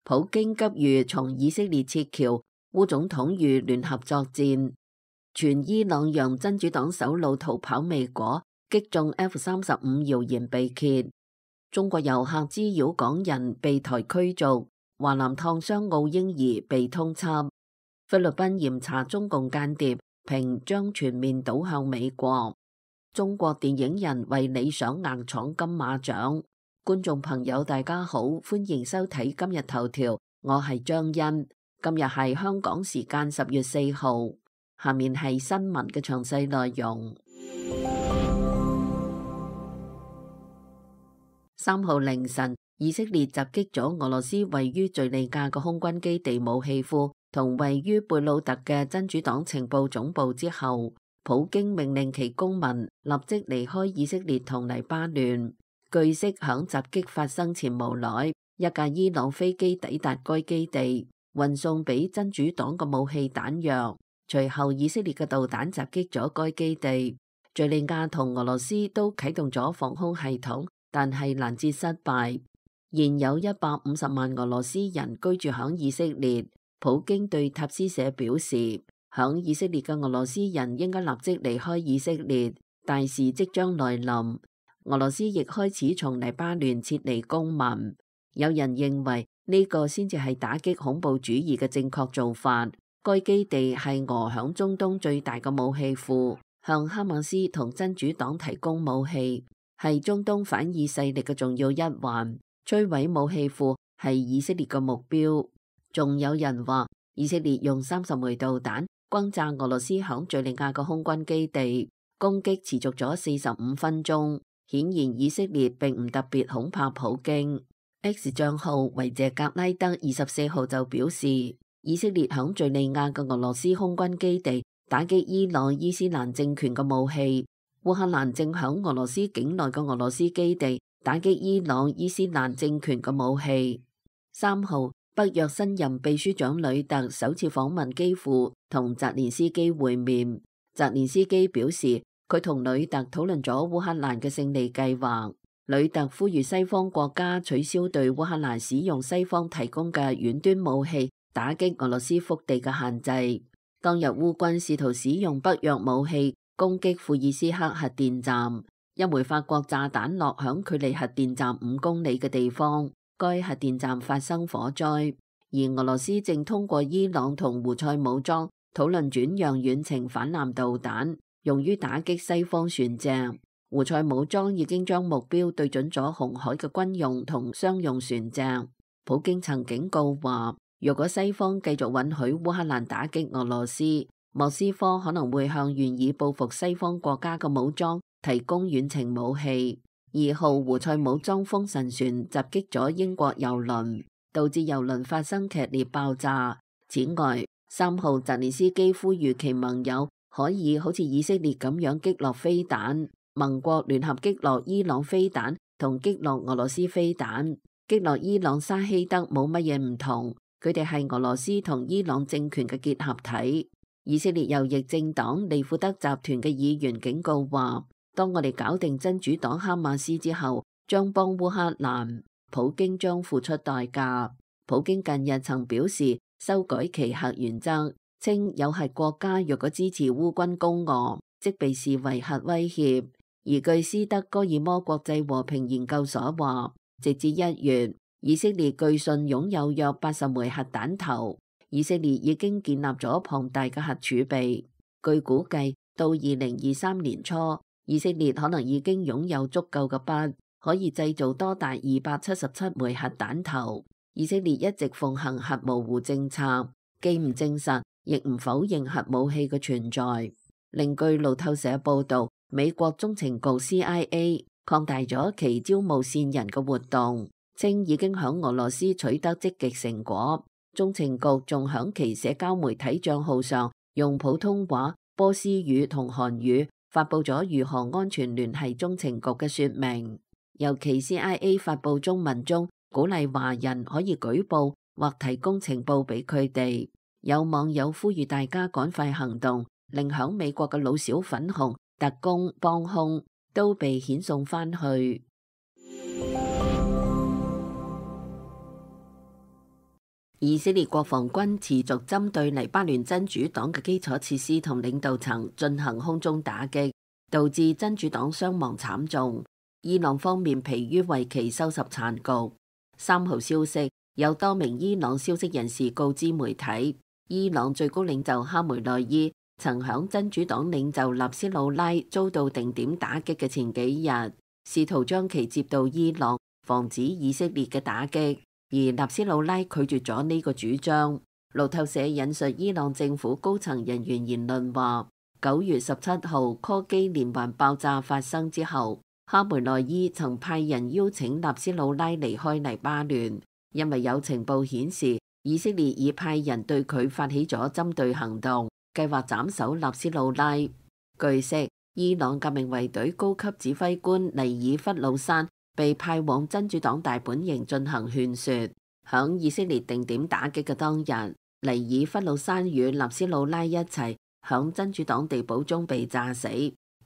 普京急於從以色列撤僑，烏總統欲聯合作戰。傳伊朗讓真主黨首腦逃跑未果，擊中 F-35謠言被揭。中國遊客滋擾港人被台驅逐。華南燙傷澳嬰兒被通緝。菲律賓嚴查中共間諜，評將全面倒向美國。中國電影人為理想硬闖金馬獎。觀眾朋友大家好，歡迎收睇今日頭條，我係張欣。今日係香港時間10月4號，下面係新聞嘅詳細內容。3號凌晨，以色列襲擊咗俄羅斯位於敘利亞嘅空軍基地武器庫同位於貝魯特嘅真主黨情報總部之後，普京命令其公民立即離開以色列同黎巴嫩。據悉，響襲擊發生前無耐，一架伊朗飛機抵達該基地，運送俾真主黨嘅武器彈藥。隨後，以色列嘅導彈襲擊咗該基地。敘利亞同俄羅斯都啟動咗防空系統，但係攔截失敗。現有150萬俄羅斯人居住響以色列。普京對塔斯社表示，響以色列嘅俄羅斯人應該立即離開以色列，大事即將來臨。俄羅斯亦開始從黎巴嫩撤離公民。有人認為呢個先至係打擊恐怖主義嘅正確做法。該基地係俄響中東最大嘅武器庫，向哈馬斯同真主黨提供武器，係中東反以勢力嘅重要一環。摧毀武器庫係以色列嘅目標。仲有人話，以色列用30枚導彈轟炸俄羅斯響敘利亞嘅空軍基地，攻擊持續咗45分鐘。顯然以色列並唔特別恐怕普京。X 賬號維謝格拉德24號就表示，以色列響敘利亞嘅俄羅斯空軍基地打擊伊朗伊斯蘭政權嘅武器。烏克蘭正響俄羅斯境內嘅俄羅斯基地打擊伊朗伊斯蘭政權嘅武器。3號，北約新任秘書長呂特首次訪問基輔，同澤連斯基會面。澤連斯基表示，佢同呂特討論咗烏克蘭嘅勝利計劃。呂特呼籲西方國家取消對烏克蘭使用西方提供嘅遠端武器打擊俄羅斯腹地嘅限制。當日烏軍試圖使用北約武器攻擊庫爾斯克核電站，一枚法國炸彈落響距離核電站5公里嘅地方，該核電站發生火災。而俄羅斯正通過伊朗同胡塞武裝討論轉讓遠程反艦導彈，用於打擊西方船隻。胡塞武裝已經將目標對準咗紅海嘅軍用同商用船隻。普京曾警告話，若果西方繼續允許烏克蘭打擊俄羅斯，莫斯科可能會向願意報復西方國家嘅武裝提供遠程武器。2號，胡塞武裝風神船襲擊咗英國郵輪，導致郵輪發生劇烈爆炸。此外，3號，澤連斯基呼籲其盟友可以好似以色列咁樣擊落飛彈。盟國聯合擊落伊朗飛彈同擊落俄羅斯飛彈。擊落伊朗沙希德冇乜嘢唔同，佢哋係俄羅斯同伊朗政權嘅結合體。以色列右翼政黨利庫德集團嘅議員警告話，當我哋搞定真主黨哈馬斯之後，將幫烏克蘭，普京將付出代價。普京近日曾表示修改其核原則，稱有核國家若果支持烏軍攻俄，即被視為核威脅。而據斯德哥爾摩國際和平研究所話，直至1月，以色列據信擁有約80枚核彈頭。以色列已經建立咗龐大嘅核儲備。據估計，到2023年初，以色列可能已經擁有足夠嘅筆，可以製造多達277枚核彈頭。以色列一直奉行核模糊政策，既唔證實，亦唔否認核武器嘅存在。另據路透社報導，美國中情局 CIA 擴大咗其招募線人嘅活動，稱已經響俄羅斯取得積極成果。中情局仲響其社交媒體賬號上用普通話、波斯語同韓語發佈咗如何安全聯繫中情局嘅說明。尤其 CIA 發佈中文中鼓勵華人可以舉報或提供情報俾佢哋。有網友呼籲大家趕快行動，令響美國嘅老小粉紅、特工、幫兇都被遣送返去。以色列國防軍持續針對黎巴嫩真主黨嘅基礎設施同領導層進行空中打擊，導致真主黨傷亡慘重。伊朗方面疲於為其收拾殘局。3號消息，有多名伊朗消息人士告知媒體，伊朗最高領袖哈梅內伊曾響真主黨領袖納斯魯拉遭到定點打擊嘅前幾日，試圖將其接到伊朗，防止以色列嘅打擊。而納斯魯拉拒絕咗呢個主張。路透社引述伊朗政府高層人員言論話，9月17號柯基連環爆炸發生之後，哈梅內伊曾派人邀請納斯魯拉離開黎巴嫩，因為有情報顯示以色列已派人對佢發起咗針對行動，計劃斬首納斯魯拉。據悉，伊朗革命衛隊高級指揮官尼爾弗魯山被派往真主黨大本營進行勸說。響以色列定點打擊嘅當日，尼爾弗魯山與納斯魯拉一齊響真主黨地堡中被炸死。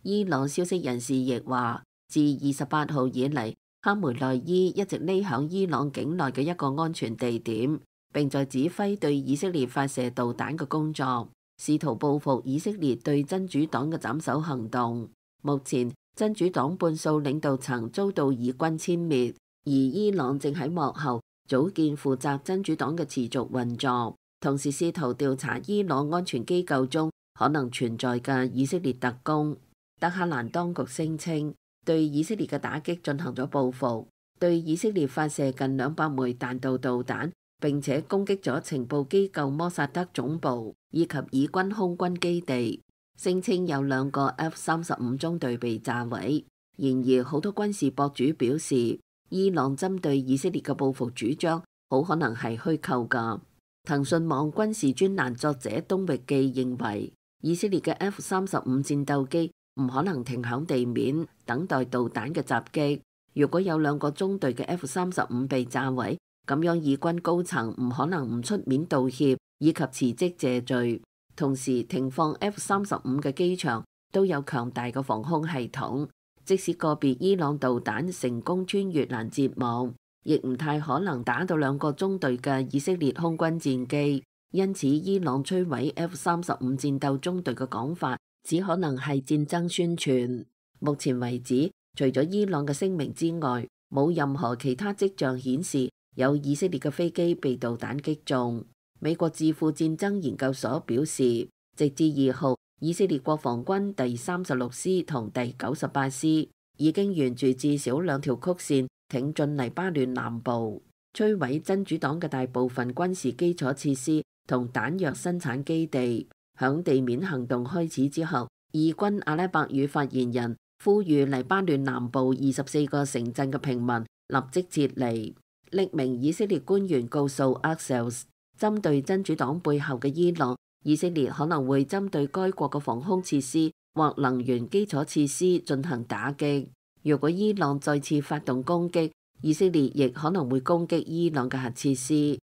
伊朗消息人士亦話，自28號以嚟，哈梅內伊一直匿響伊朗境內嘅一個安全地點，並在指揮對以色列發射導彈嘅工作，試圖報復以色列對真主黨嘅斬首行動。目前，真主黨半數領導層遭到以軍殲滅，而伊朗正喺幕後組建負責真主黨嘅持續運作，同時試圖調查伊朗安全機構中可能存在嘅以色列特工。德黑蘭當局聲稱對以色列嘅打擊進行咗報復，對以色列發射近200枚彈道導彈，並且攻擊咗情報機構摩薩德總部以及以軍空軍基地。聲稱有2個 F-35中隊被炸毀。然而，好多軍事博主表示，伊朗針對以色列嘅報復主張好可能係虛構㗎。騰訊網軍事專欄作者東域記認為，以色列嘅 F-35戰鬥機唔可能停響地面等待導彈嘅襲擊。如果有2個中隊嘅 F-35被炸毀，咁樣以軍高層唔可能唔出面道歉以及辭職謝罪。同時，停放 F-35嘅機場都有強大嘅防空系統，即使個別伊朗導彈成功穿越攔截網，亦唔太可能打到2個中隊嘅以色列空軍戰機。因此，伊朗摧毀 F-35戰鬥中隊嘅講法，只可能係戰爭宣傳。目前為止，除咗伊朗嘅聲明之外，冇任何其他跡象顯示有以色列嘅飛機被導彈擊中。美國智庫戰爭研究所表示，直至2號，以色列國防軍第36師同第98師已經沿住至少2條曲線挺進黎巴嫩南部，摧毀真主黨嘅大部分軍事基礎設施同彈藥生產基地。響地面行動開始之後，以軍阿拉伯語發言人呼籲黎巴嫩南部24個城鎮嘅平民立即撤離。匿名以色列官員告訴 Axios，針對真主黨背後嘅伊朗，以色列可能會針對該國嘅防空設施或能源基礎設施進行打擊。如果伊朗再次發動攻擊，以色列亦可能會攻擊伊朗嘅核設施。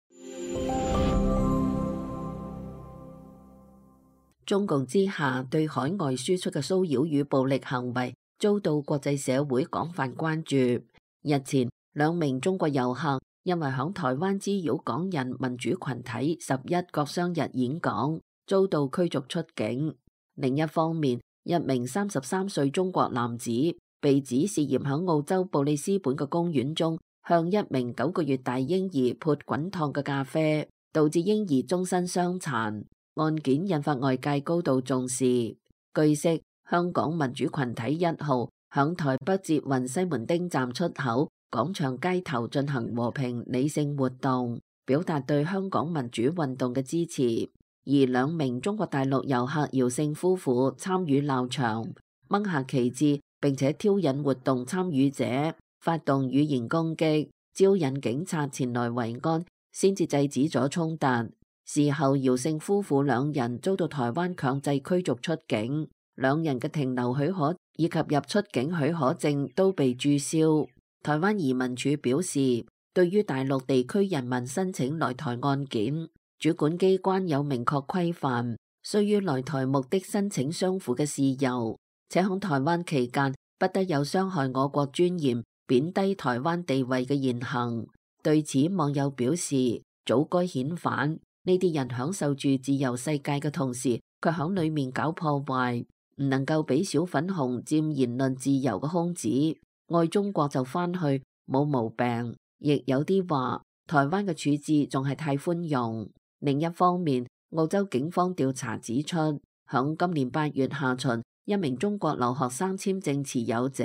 中共之下對海外輸出嘅騷擾與暴力行為遭到國際社會廣泛關注。日前，2名中國遊客因為響台灣滋擾港人民主群體11國殤日演講，遭到驅逐出境。另一方面，1名33歲中國男子被指涉嫌響澳洲布里斯本嘅公園中向1名9個月大嬰兒潑滾燙嘅咖啡，導致嬰兒終身傷殘。案件引發外界高度重視。據悉，香港民主群體1號響台北捷運西門町站出口廣場街頭進行和平理性活動，表達對香港民主運動嘅支持。而2名中國大陸遊客姚姓夫婦參與鬧場，掹下旗幟，並且挑釁活動參與者，發動語言攻擊，招引警察前來圍安，先至制止咗衝突。事後，姚姓夫婦2人遭到台灣強制驅逐出境，2人嘅停留許可以及入出境許可證都被註銷。台灣移民署表示，對於大陸地區人民申請來台案件，主管機關有明確規範，須於來台目的申請相符嘅事由，且喺台灣期間不得有傷害我國尊嚴、貶低台灣地位嘅言行。對此，網友表示，早該遣返。呢啲人享受住自由世界嘅同時，卻響裏面搞破壞，唔能夠俾小粉紅佔言論自由嘅空子。愛中國就翻去冇毛病，亦有啲話台灣嘅處置仲係太寬容。另一方面，澳洲警方調查指出，響今年8月下旬，一名中國留學生簽證持有者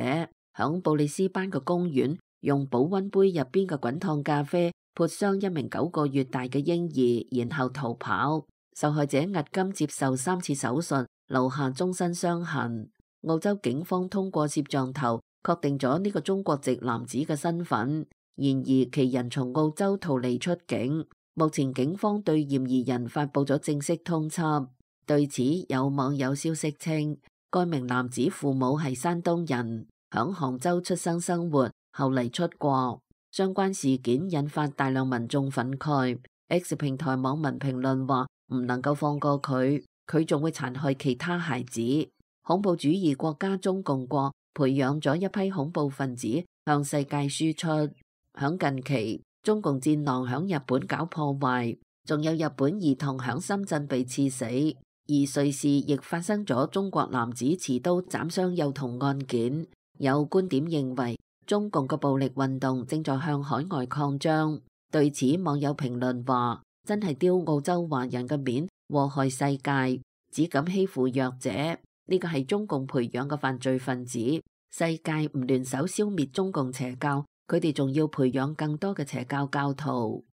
響布里斯班嘅公園用保溫杯入邊嘅滾燙咖啡潑傷一名9個月大嘅嬰兒，然後逃跑。受害者迄今接受3次手術，留下終身傷痕。澳洲警方通過攝像頭確定咗呢個中國籍男子嘅身份，然而其人從澳洲逃離出境。目前警方對嫌疑人發佈咗正式通緝。對此，有網友消息稱，該名男子父母係山東人，響杭州出生生活，後嚟出國。相關事件引發大量民眾憤慨。X 平台網民評論話唔能夠放過佢，佢仲會殘害其他孩子。恐怖主義國家中共國培養咗一批恐怖分子向世界輸出。響近期，中共戰狼響日本搞破壞，仲有日本兒童響深圳被刺死，而瑞士亦發生咗中國男子持刀斬傷幼童案件。有觀點認為，中共嘅暴力運動正在向海外擴張。對此，網友評論話：真係丟澳洲華人嘅面，禍害世界，只敢欺負弱者。呢個係中共培養嘅犯罪分子。世界唔聯手消滅中共邪教，佢哋仲要培養更多嘅邪教教徒。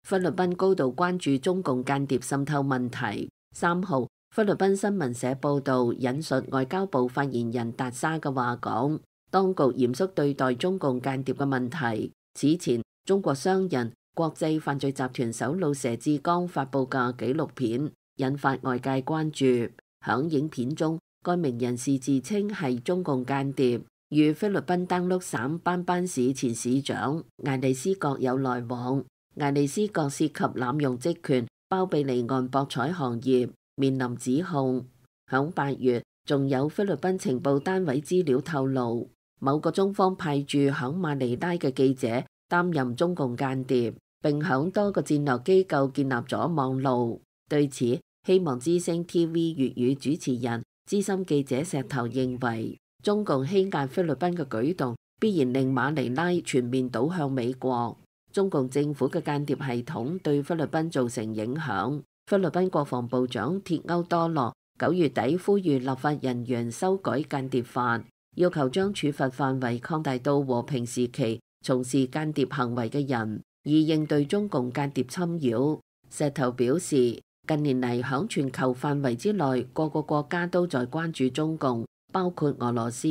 菲律賓高度關注中共間諜滲透問題。3號，菲律賓新聞社報道，引述外交部發言人達沙嘅話講，當局嚴肅對待中共間諜嘅問題。此前，中國商人、國際犯罪集團首腦佘志剛發佈嘅紀錄片引發外界關注。響影片中，該名人士自稱係中共間諜，與菲律賓登陸省班班市前市長艾利斯國有來往。艾利斯國涉及濫用職權、包庇離岸博彩行業，面臨指控。響8月，仲有菲律賓情報單位資料透露，某個中方派駐響馬尼拉嘅記者擔任中共間諜，並響多個戰略機構建立咗網路。對此，希望之聲 TV 粵語主持人資深記者石頭認為，中共欺壓菲律賓嘅舉動必然令馬尼拉全面倒向美國。中共政府嘅間諜系統對菲律賓造成影響。菲律賓國防部長鐵歐多洛9月底呼籲立法人員修改間諜法，要求將處罰範圍擴大到和平時期從事間諜行為嘅人，以應對中共間諜侵擾。石頭表示，近年嚟響全球範圍之內，各個國家都在關注中共，包括俄羅斯。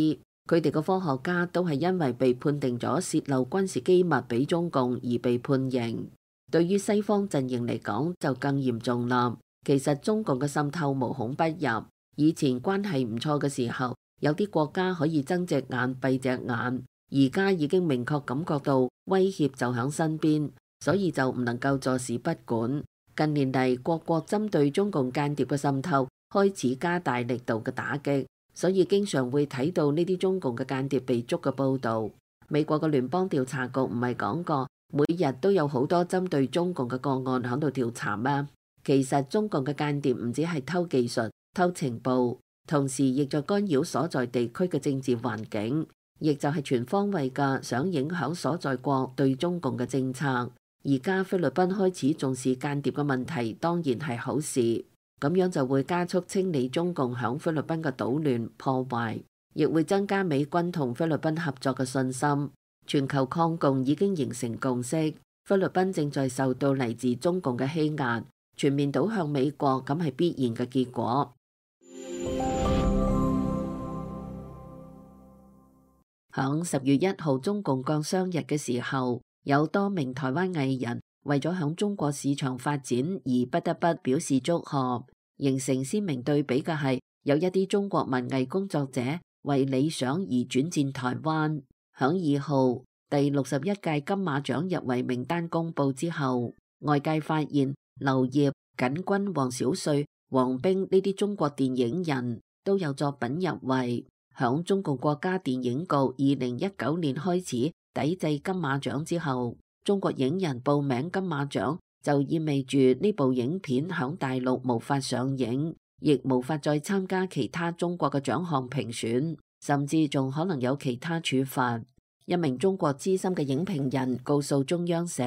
佢哋嘅科學家都係因為被判定咗洩漏軍事機密俾中共而被判刑。對於西方陣營嚟講就更嚴重啦。其實中共嘅滲透無孔不入。以前關係唔錯嘅時候，有啲國家可以睜隻眼閉隻眼，而家已經明確感覺到威脅就喺身邊，所以就唔能夠坐視不管。近年嚟，各國針對中共間諜嘅滲透開始加大力度嘅打擊。所以經常會睇到呢啲中共嘅間諜被捉嘅報導。美國嘅聯邦調查局唔係講過，每日都有好多針對中共嘅個案喺度調查嗎？其實中共嘅間諜唔止係偷技術、偷情報，同時亦在干擾所在地區嘅政治環境，亦就係全方位嘅想影響所在國對中共嘅政策。而家菲律賓開始重視間諜嘅問題，當然係好事。咁樣就會加速清理中共響菲律賓嘅搗亂破壞，亦會增加美軍同菲律賓合作嘅信心。全球抗共已經形成共識，菲律賓正在受到嚟自中共嘅欺壓，全面倒向美國，咁係必然嘅結果。響10月1號中共國殤日嘅時候，有多名台灣藝人為咗響中國市場發展而不得不表示祝賀。形成鮮明對比嘅係，有一啲中國文藝工作者為理想而轉戰台灣。響2號第61屆金馬獎入圍名單公佈之後，外界發現劉燁、瑾君、黃小穗、黃冰呢啲中國電影人都有作品入圍。響中共國家電影局2019年開始抵制金馬獎之後，中國影人報名金馬獎就意味住呢部影片響大陸無法上映，亦無法再參加其他中國嘅獎項評選，甚至仲可能有其他處罰。一名中國資深嘅影評人告訴中央社，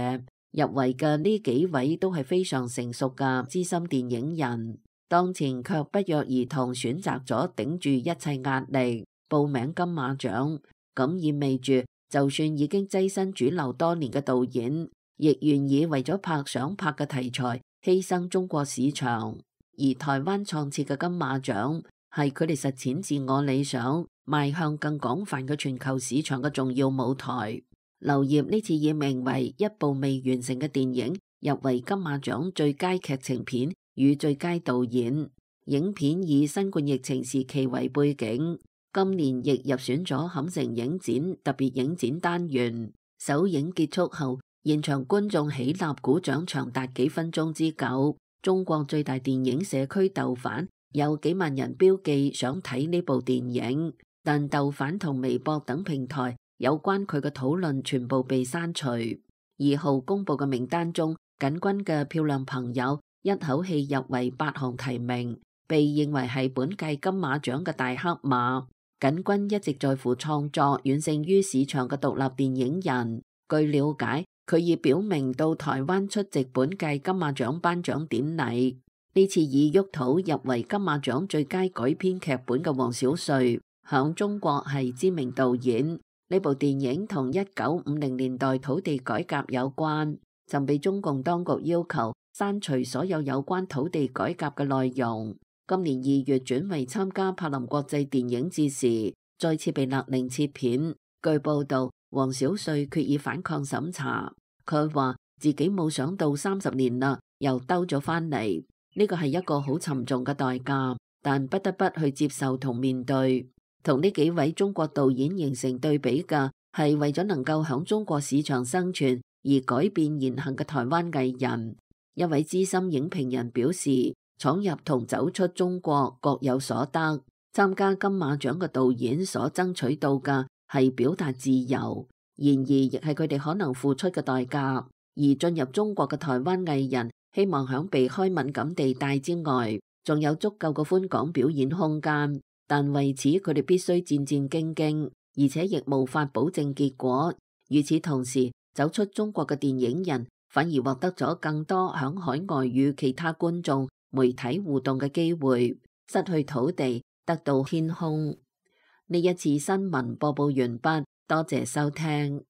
入圍嘅呢幾位都係非常成熟嘅資深電影人，當前卻不約而同選擇咗頂住一切壓力報名金馬獎，咁意味住就算已經躋身主流多年嘅導演，亦願意為咗拍想拍嘅題材犧牲中國市場。而台灣創設嘅金馬獎係佢哋實踐自我理想，邁向更廣泛嘅全球市場嘅重要舞台。劉燁呢次以名為一部未完成嘅電影入圍金馬獎最佳劇情片與最佳導演。影片以新冠疫情時期為背景，今年亦入選咗坎城影展特別影展單元。首映結束後，現場觀眾起立鼓掌長達幾分鐘之久。中國最大電影社區豆瓣有幾萬人標記想睇呢部電影，但豆瓣同微博等平台有關佢嘅討論全部被刪除。2號公佈嘅名單中，瑾君嘅漂亮朋友一口氣入圍8項提名，被認為係本屆金馬獎嘅大黑馬。瑾君一直在乎創作遠勝於市場嘅獨立電影人。據了解，佢已表明到台灣出席本屆金馬獎頒獎典禮。呢次以《沃土》入圍金馬獎最佳改編劇本嘅王小帥，響中國係知名導演。呢部電影同1950年代土地改革有關，曾被中共當局要求刪除所有有關土地改革嘅內容。今年2月轉為參加柏林國際電影節時，再次被勒令撤片。據報道，王小帥決意反抗審查。佢話自己冇想到30年啦，又兜咗返嚟，呢個係一個好沉重嘅代價，但不得不去接受同面對。同呢幾位中國導演形成對比嘅係為咗能夠響中國市場生存而改變言行嘅台灣藝人。一位資深影評人表示，闖入同走出中國各有所得，參加金馬獎嘅導演所爭取到嘅係表達自由，然而亦係佢哋可能付出嘅代價。而進入中國嘅台灣藝人希望響避開敏感地帶之外，仲有足夠嘅寬廣表演空間，但為此佢哋必須戰戰兢兢，而且亦無法保證結果。與此同時，走出中國嘅電影人反而獲得咗更多響海外與其他觀眾媒體互動嘅機會，失去土地得到天空。呢一次新聞播報完畢，多謝收聽。